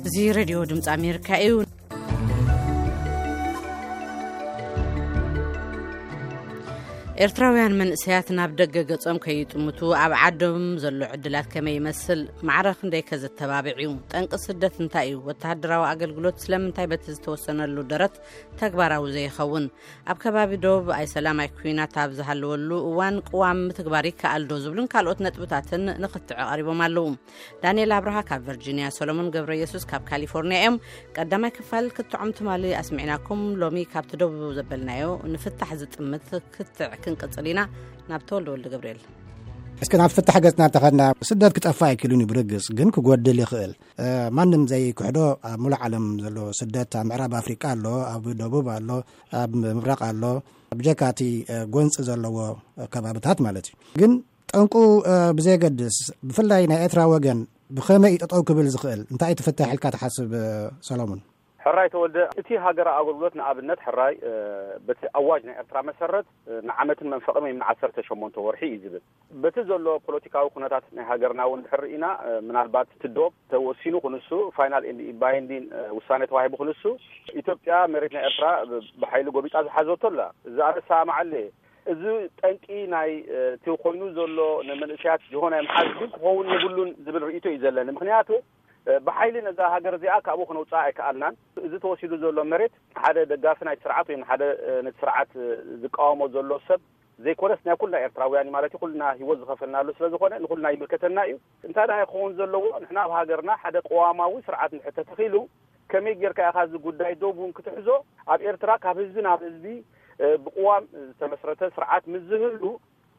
እዚ ሬድዮ ድምፂ ኣሜሪካ እዩ። ኤርትራውያን መንእሰያት ናብ ደገ ገጾም ከይጥምቱ ኣብ ዓዶም ዘሎ ዕድላት ከመይ ይመስል? ማዕረ ክንደይ ከ ዘተባብዕ እዩ? ጠንቂ ስደት እንታይ እዩ? ወተሃደራዊ ኣገልግሎት ስለምንታይ በቲ ዝተወሰነሉ ደረት ተግባራዊ ዘይኸውን? ኣብ ከባቢ ዶብ ኣይሰላም ኣይኩናት ኣብ ዝሃለወሉ እዋን ቅዋም ምትግባር ይከኣል ዶ? ዝብሉን ካልኦት ነጥብታትን ንኽትዕ ቀሪቦም ኣለዉ። ዳንኤል ኣብርሃ ካብ ቨርጂኒያ፣ ሰሎሞን ገብረ የሱስ ካብ ካሊፎርኒያ እዮም። ቀዳማይ ክፋል ክትዖም ትማሊ ኣስሚዕናኩም። ሎሚ ካብቲ ደቡብ ዘበልናዮ ንፍታሕ ዝጥምት ክትዕ ክንቅጽል ኢና። ናብ ተወልደ ወልደ ገብርኤል። እስኪ ናብ ፍታሕ ገጽና እንተኸድና፣ ስደት ክጠፋ ኣይክእልን እዩ ብርግጽ፣ ግን ክጎድል ይኽእል። እ፣ ማንም ዘይክሕዶ ኣብ ሙሉእ ዓለም ዘሎ ስደት ኣብ ምዕራብ ኣፍሪቃ ኣሎ፣ ኣብ ደቡብ ኣሎ፣ ኣብ ምብራቕ ኣሎ፣ ብጀካ እቲ፣ እ፣ ጎንጺ ዘለዎ ከባብታት ማለት እዩ። ግን ጠንቁ፣ እ፣ ብዘየገድስ፣ ብፍላይ ናይ ኤርትራ ወገን ብኸመይ እዩ ጠጠው ክብል ዝኽእል? እንታይ እዩ ትፍታሕ ኢልካ ትሓስብ፣ እ፣ ሰሎሞን? ሕራይ ተወልደ፣ እቲ ሃገራዊ ኣገልግሎት ንኣብነት ሕራይ፣ እ፣ በቲ ኣዋጅ ናይ ኤርትራ መሰረት፣ እ፣ ንዓመትን መንፈቕን ወይ ንዓሰርተ ሸሞንተ ወርሒ እዩ ዝብል። በቲ ዘሎ ፖለቲካዊ ኩነታት ናይ ሃገርና እውን ድሕር ርኢና፣ እ፣ ምናልባት እቲ ዶብ ተወሲኑ ክንሱ፣ ፋይናል ኤንድ ባይንዲን፣ እ፣ ውሳኔ ተዋሂቡ ክንሱ፣ ኢትዮጵያ መሬት ናይ ኤርትራ ብ-፣ ብሓይሊ ጎቢጣ ዝሓዘቶ ኣላ። እዚ ኣነ እሰማማዓሉ እየ። እዚ ጠንቂ ናይ፣ እ፣ እቲ ኮይኑ ዘሎ ንመንእሰያት ጅሆ ናይ ምሓዝ ግን ክኸውን የብሉን ዝብል ርእይቶ እዩ ዘለኒ። ምኽንያቱ፣ እ፣ ብሓይሊ ነዛ ሃገር እዚኣ ካብኡ ክነውፅኣ ኣይከኣልናን። እዚ ተወሲዱ ዘሎ መሬት ሓደ ደጋፊ ናይ ስርዓት ወይ ሓደ፣ እ፣ ነቲ ስርዓት፣ እ፣ ዝቃወሞ ዘሎ ሰብ ዘይኮነስ ናይ ኩልና ኤርትራውያን እዩ ማለት እዩ። ኩልና ህይወት ዝኸፈልናሉ ስለ ዝኾነ ንኩልና ይምልከተና እዩ። እንታይ ደኣ ክኸውን ዘለዎ፣ ንሕና ኣብ ሃገርና ሓደ ቅዋማዊ ስርዓት እንድሕር ተተኺሉ፣ ከመይ ጌርካ ኢኻ እዚ ጉዳይ ዶብ እውን ክትሕዞ? ኣብ ኤርትራ ካብ ህዝቢ ናብ ህዝቢ፣ እ፣ ብቅዋም ዝተመስረተ ስርዓት ምስ ዝህሉ፣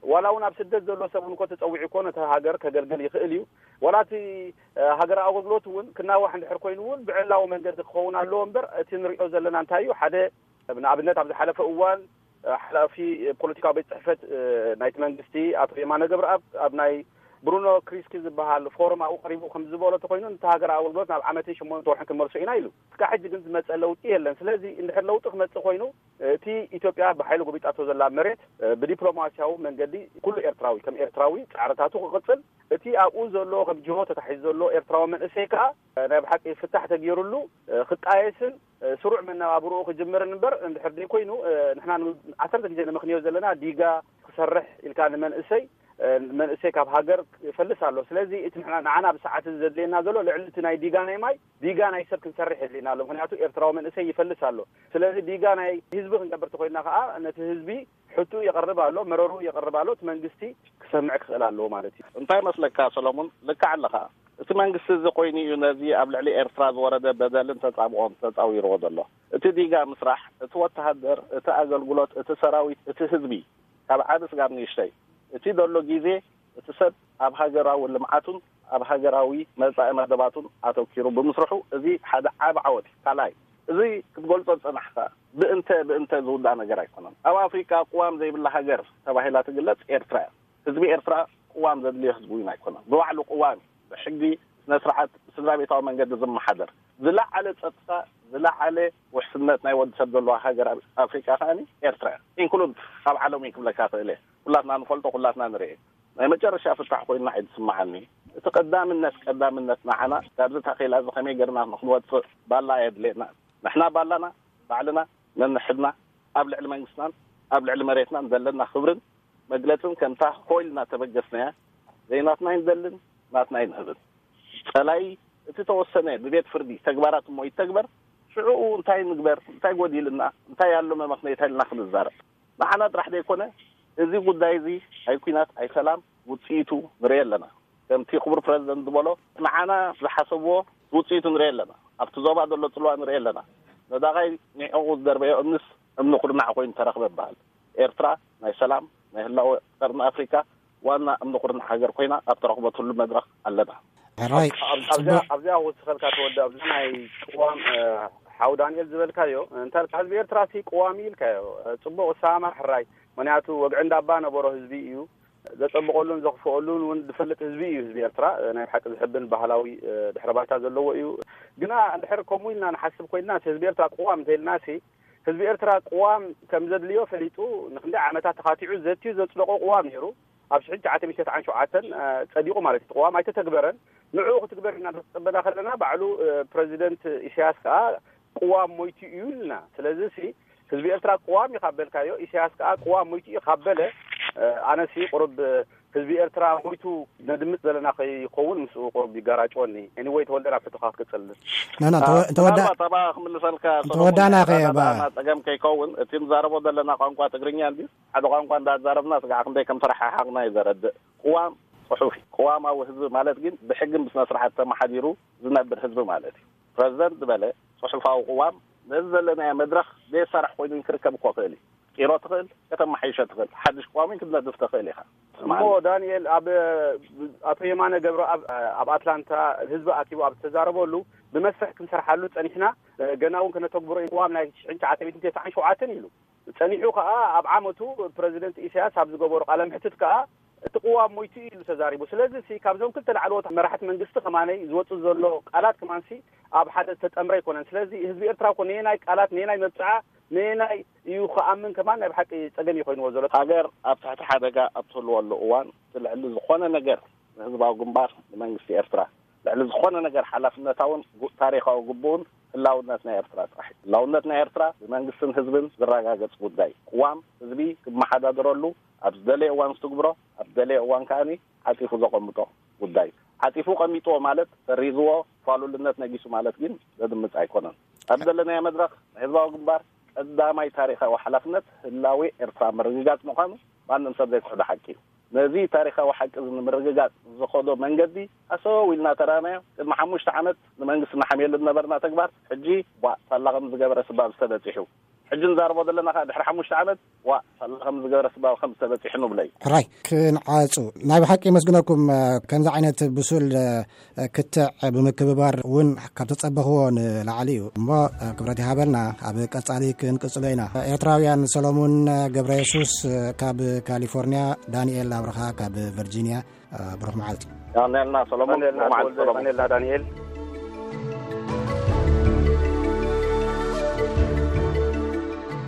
ዋላ እውን ኣብ ስደት ዘሎ ሰብ እውን እኮ ተጸዊዑ እኮ ነቲ ሃገር ከገልግል ይኽእል እዩ። ዋላ እቲ፣ እ፣ ሃገራዊ ኣገልግሎት እውን ክናዋሕ እንድሕር ኮይኑ እውን ብዕላዊ መንገዲ ክኸውን ኣለዎ እምበር፣ እቲ ንሪኦ ዘለና እንታይ እዩ? ሓደ፣ ንኣብነት ኣብ ዝሓለፈ እዋን፣ እ፣ ሓላፊ ፖለቲካዊ ቤት ጽሕፈት፣ እ፣ ናይቲ መንግስቲ ኣቶ የማነ ገብረኣብ ኣብ ናይ ብሩኖ ክሪስኪ ዝበሃል ፎረም ኣብኡ ቀሪቡ ከም ዝበሎ ተኮይኑ፣ ነቲ ሃገራዊ ኣገልግሎት ናብ ዓመትን ሸሞንተ ወርሕን ክንመልሶ ኢና ኢሉ። እስካብ ሕጂ ግን ዝመጸ ለውጢ የለን። ስለዚ እንድሕር ለውጢ ክመጽእ ኮይኑ፣ እቲ ኢትዮጵያ ብሓይሊ ጎቢጣቶ ዘላ መሬት፣ እ፣ ብዲፕሎማሲያዊ መንገዲ ኩሉ ኤርትራዊ ከም ኤርትራዊ ጻዕርታቱ ክቕጽል፣ እቲ ኣብኡ ዘሎ ከም ጅሆ ተታሒዙ ዘሎ ኤርትራዊ መንእሰይ ከኣ፣ እ፣ ናይ ብሓቂ ፍታሕ ተገይሩሉ፣ እ፣ ክጣየስን፣ እ፣ ስሩዕ መነባብርኡ ክጅምርን እምበር፣ እንድሕር ደይኮይኑ፣ እ፣ ንሕና ን-፣ ዓሰርተ ግዜ ንምኽንዮ ዘለና ዲጋ ክሰርሕ ኢልካ ንመንእሰይ፣ እ፣ መንእሰይ ካብ ሃገር ይፈልስ ኣሎ። ስለዚ እቲ ንሕና፣ ንዓና ብሰዓት እዚ ዘድልየና ዘሎ ልዕሊ እቲ ናይ ዲጋ ናይ ማይ፣ ዲጋ ናይ ሰብ ክንሰርሕ የድልየና ኣሎ። ምኽንያቱ ኤርትራዊ መንእሰይ ይፈልስ ኣሎ። ስለዚ ዲጋ ናይ ህዝቢ ክንገብር ተኮይንና ከኣ ነቲ ህዝቢ ሕቱ የቕርብ ኣሎ፣ መረሩ የቕርብ ኣሎ። እቲ መንግስቲ ክሰምዕ ክኽእል ኣለዎ ማለት እዩ። እንታይ መስለካ ሰሎሞን? ልክዕ ኣለኻ። እቲ መንግስቲ እዚ ኮይኑ እዩ ነዚ ኣብ ልዕሊ ኤርትራ ዝወረደ በደልን ተጻብኦን ተጻዊርዎ ዘሎ። እቲ ዲጋ ምስራሕ፣ እቲ ወተሃደር፣ እቲ ኣገልግሎት፣ እቲ ሰራዊት፣ እቲ ህዝቢ፣ ካብ ዓቢ ስጋብ ንእሽተይ፣ እቲ ዘሎ ግዜ፣ እቲ ሰብ ኣብ ሃገራዊ ልምዓቱን ኣብ ሃገራዊ መጻኢ መደባቱን ኣተኪሩ ብምስርሑ፣ እዚ ሓደ ዓቢ ዓወት እዩ። ካልኣይ፣ እዚ ክትገልጾ ዝጸናሕካ ብእንተ ብእንተ ዝውዳእ ነገር ኣይኮነን። ኣብ ኣፍሪቃ ቅዋም ዘይብላ ሃገር ተባሂላ ትግለጽ ኤርትራ እያ። ህዝቢ ኤርትራ ቅዋም ዘድልዮ ህዝቢ እውን ኣይኮነን። ብባዕሉ ቅዋም እዩ። ብሕጊ፣ ስነ ስርዓት፣ ብስድራ ቤታዊ መንገዲ ዝመሓደር፣ ዝለዓለ ጸጥታ፣ ዝለዓለ ውሕስነት ናይ ወዲ ሰብ ዘለዋ ሃገር ኣብ ኣፍሪቃ ከኣ ኤርትራ እያ። ኢንክሉድ ኣብ ዓለም እዩ ክብለካ ክእል እየ። ኩላትና ንፈልጦ፣ ኩላትና ንርኢ። ናይ መጨረሻ ፍታሕ ኮይና እየ ዝስምዓኒ። እቲ ቀዳምነት፣ ቀዳምነት ንዓና ካብዚ ታኼላ እዚ ከመይ ጌርና ንክንወጽእ ባላ ኣየድልየና። ንሕና ባላና ባዕልና ነንሕድና ኣብ ልዕሊ መንግስትናን ኣብ ልዕሊ መሬትናን ዘለና ክብርን መግለጽን ከምታ ኮይልና ተበገስናያ ዘይናትና ኣይንደልን፣ ናትና ኣይንህብን። ጸላኢ እቲ ተወሰነ ብቤት ፍርዲ ተግባራት እሞ ይተግበር፣ ሽዑ እንታይ ንግበር፣ እንታይ ጎዲልና፣ እንታይ ኣሎ መመኽነይታ ኢልና ክንዛረብ። ንዓና ጥራሕ ዘይኮነ፣ እዚ ጉዳይ እዚ ኣይ ኲናት ኣይ ሰላም ውጽኢቱ ንርኢ ኣለና። ከምቲ ክቡር ፕረዚደንት ዝበሎ፣ ንዓና ዝሓሰብዎ ውጽኢቱ ንርኢ ኣለና። ኣብቲ ዞባ ዘሎ ጽልዋ ንርኢ ኣለና። ነዳቓይ ኒዕቑ ዝደርበዮ እምንስ እምኒ ኩርናዕ ኮይኑ ተረኽበ ይበሃል። ኤርትራ ናይ ሰላም፣ ናይ ህላወ ቀርኒ ኣፍሪካ ዋና እምኒ ኩርናዕ ሃገር ኮይና ኣብ ተረኽበትሉ መድረኽ ኣለና። ሕራይ ኣብዚኣ ኣብዚኣ ክውስኸልካ ተወደ ኣብዚ ናይ ቅዋም ሓው ዳንኤል ዝበልካዮ እንታልካ ህዝቢ ኤርትራ ሲ ቅዋም ኢልካዮ ጽቡቕ እሳማ ሕራይ። ምክንያቱ ወግዒ እንዳባ ነበሮ ህዝቢ እዩ ዘጸብቐሉን ዘኽፍኦሉን እውን ዝፈልጥ ህዝቢ እዩ። ህዝቢ ኤርትራ ናይ ሓቂ ዝሕብን ባህላዊ ድሕረ ባይታ ዘለዎ እዩ። ግና እንድሕር ከምኡ ኢልና ንሓስብ ኮይንና ህዝቢ ኤርትራ ቅዋም እንተኢልና ህዝቢ ኤርትራ ቅዋም ከም ዘድልዮ ፈሊጡ ንክንደይ ዓመታት ተኻቲዑ ዘትዩ ዘጽደቆ ቅዋም ነይሩ። ኣብ ሽሕን ትሽዓተ ሚእትን ተስዓን ሸውዓተን ጸዲቑ ማለት እዩ። እቲ ቅዋም ኣይተተግበረን። ንዕኡ ክትግበር ኢና እናተጸበና ከለና ባዕሉ ፕረዚደንት ኢሳያስ ከዓ ቅዋም ሞይቱ እዩ ኢልና። ስለዚ ሲ ህዝቢ ኤርትራ ቅዋም እዩ ካብ በልካዮ፣ ኢሳያስ ከዓ ቅዋም ሞይቱ እዩ ካብ በለ፣ ኣነሲ ቁሩብ ህዝቢ ኤርትራ ሞይቱ ነድምፅ ዘለና ከይኸውን ምስኡ ቁሩብ ይጋራጨወኒ። Anyway፣ ተወልደ፣ ናብ ሕቶኻ ክትቅፅል። ናና፣ እንተወ- እንተወዳ- ምናልባት ኣባ ክምልሰልካ ሰሎሞን፣ እንተወዳና ኸ ናና ኣባ? ጸገም ከይከውን፣ እቲ ንዛረቦ ዘለና ቋንቋ ትግርኛ እንድዩ። ሓደ ቋንቋ እንዳዛረብና ስጋዕ ክንደይ ከም ተረሓሓቕና እዩ ዘረድእ። ቅዋም ጽሑፍ እዩ። ቅዋማዊ ህዝቢ ማለት ግን ብሕግን ብስነ ስርዓት ተመሓዲሩ ዝነብር ህዝቢ ማለት እዩ። ፕረዚደንት ዝበለ ጽሑፋዊ ቅዋም ነዚ ዘለናዮ መድረኽ ዘየሳርሕ ኮይኑ ክርከብ እኮ ክእል እዩ። ቂሮ ትኽእል፣ ከተመሓይሾ ትኽእል፣ ሓድሽ ቅዋም ክትነድፍ ትኽእል ኢኻ። እሞ ዳንኤል፣ ኣብ ኣቶ የማነ ገብረኣብ ኣብ ኣትላንታ ህዝቢ ኣኪቡ ኣብ ዝተዛረበሉ፣ ብመስርሕ ክንሰርሓሉ ጸኒሕና፣ ገና እውን ከነተግብሮ እዩ ቅዋም ናይ ሽሕን ትሽዓተ ሚእትን ተስዓን ሸውዓተን ኢሉ። ጸኒሑ ከኣ ኣብ ዓመቱ ፕረዚደንት ኢሳያስ ኣብ ዝገበሮ ቃለ መሕትት ከኣ እቲ ቅዋም ሞይቱ ኢሉ ተዛሪቡ። ስለዚ ሲ ካብዞም ክልተ ላዕለዎት መራሕቲ መንግስቲ ከማነይ ዝወጽእ ዘሎ ቃላት ከማንሲ ኣብ ሓደ ዝተጠምረ ኣይኮነን። ስለዚ ህዝቢ ኤርትራ እኮ ነየናይ ቃላት፣ ነየናይ መብጽዓ፣ ነየናይ እዩ ክኣምን ከማን ናይ ብሓቂ ጸገም እዩ ኮይንዎ ዘሎ። ሃገር ኣብ ትሕቲ ሓደጋ ኣብ ትህልወሉ እዋን፣ እቲ ልዕሊ ዝኾነ ነገር ንህዝባዊ ግንባር፣ ንመንግስቲ ኤርትራ፣ ልዕሊ ዝኾነ ነገር ሓላፍነታውን ጉ- ታሪኻዊ ግቡኡን ህላውነት ናይ ኤርትራ ጥራሕ እዩ። ህላውነት ናይ ኤርትራ ብመንግስትን ህዝብን ዝረጋገጽ ጉዳይ እዩ። ቅዋም ህዝቢ ክመሓዳደረሉ፣ ኣብ ዝደለየ እዋን ዝትግብሮ፣ ኣብ ዝደለየ እዋን ከኣኒ ዓጺፉ ዘቐምጦ ጉዳይ እዩ። ዓጺፉ ቀሚጥዎ ማለት፣ ሰሪዝዎ፣ ፋሉልነት ነጊሱ ማለት ግን ዘድምጽ ኣይኮነን። ኣብ ዘለናዮ መድረኽ፣ ናይ ህዝባዊ ግንባር ቀዳማይ ታሪኻዊ ሓላፍነት ህላዌ ኤርትራ ምርግጋጽ ምዃኑ ማንም ሰብ ዘይክሕዶ ሓቂ እዩ። ነዚ ታሪኻዊ ሓቂ እዚ ንምርግጋጽ ዝኸዶ መንገዲ ኣሰው ኢልና ተራእናዮ። ቅድሚ ሓሙሽተ ዓመት ንመንግስቲ ንሓምየሉ ዝነበርና ተግባር፣ ሕጂ ዋእ ሳላ ከም ዝገበረ ስባብ ዝተበጺሑ። ሕጂ ንዛረቦ ዘለና ከኣ ድሕሪ ሓሙሽተ ዓመት ዋእ ሳላ ከም ዝገበረ ስባብ ከም ዝተበጺሑ ንብሎ እዩ። ሕራይ ክንዓጹ ናይ ብሓቂ የመስግነኩም። ከምዚ ዓይነት ብሱል ክትዕ ብምክብባር እውን ካብ ተጸበኽዎ ንላዕሊ እዩ። እሞ ክብረት ይሃበልና፣ ኣብ ቀጻሊ ክንቅጽሎ ኢና። ኤርትራውያን፣ ሰሎሙን ገብረ የሱስ ካብ ካሊፎርኒያ፣ ዳንኤል ኣብርሃ ካብ ቨርጂኒያ፣ ብሩኽ መዓልቲ። ቀንየልና ሰሎሙን፣ ቀንየልና ብሩኽ መዓልቲ ተወልደ፣ ሰሎሙን። ቀንየልና ዳንኤል።